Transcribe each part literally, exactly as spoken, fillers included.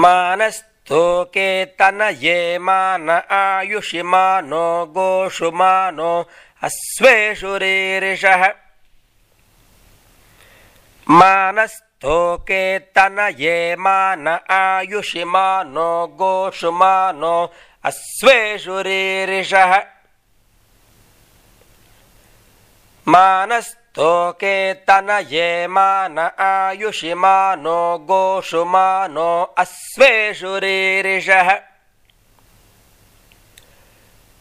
मानस्तोके तनये मान आयुषि मानो गोषु मानो अश्वेषु रीरिषः मानस्तोके तनये मान आयुषि मानो गोषु मानो अश्वेषु रीरिषः मानस्तोके तनये मान आयुषि मानो गोषु मानो अश्वेषु रीरिषः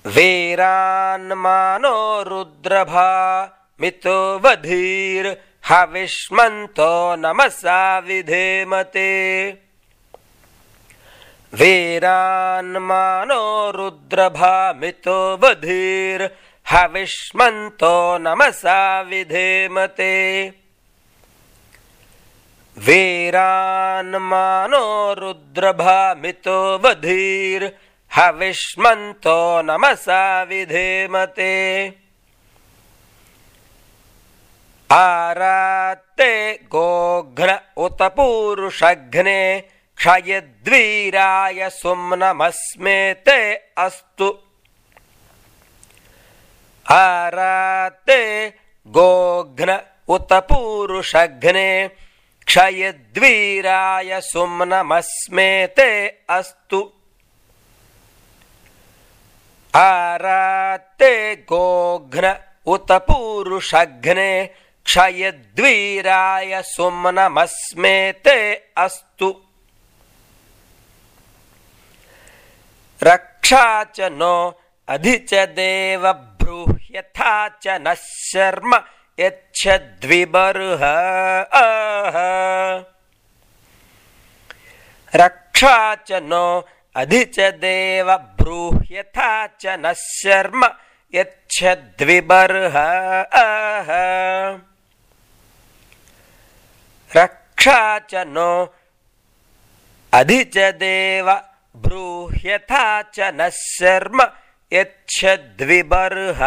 वीरान्मानो रुद्रभा मितो वधीर् हविष्मन्तो नमसा विधेमते वीरान्मानो रुद्रभा मितो वधीर् हविष्मन्तो नमसा विधेमते वीरान्मानो रुद्रभा मितो वधीर् हविष्मन्तो नमसा विधेमते आरात्ते गोघ्न उत पूरुषघ्ने क्षयद्वीराय सुम्नमस्मेते अस्तु आरात्ते गोघ्न उत पूरुषघ्ने क्षयद्वीराय सुम्नमस्मेते अस्तु आरात्ते गोघ्न उत पूरुषघ्ने क्षयद्वीराय सुम्नमस्मेते अस्तु रक्षा च नो अधि च देव ब्रूह्यथा च नः शर्म यच्छद्विबर्ह रक्षा च नो अधि च देव ब्रूह्यथा च नः शर्म यच्छद्विबर्ह रक्षा च नो अधि च देव ब्रूह्यथा च नः शर्म यच्छद्विबर्ह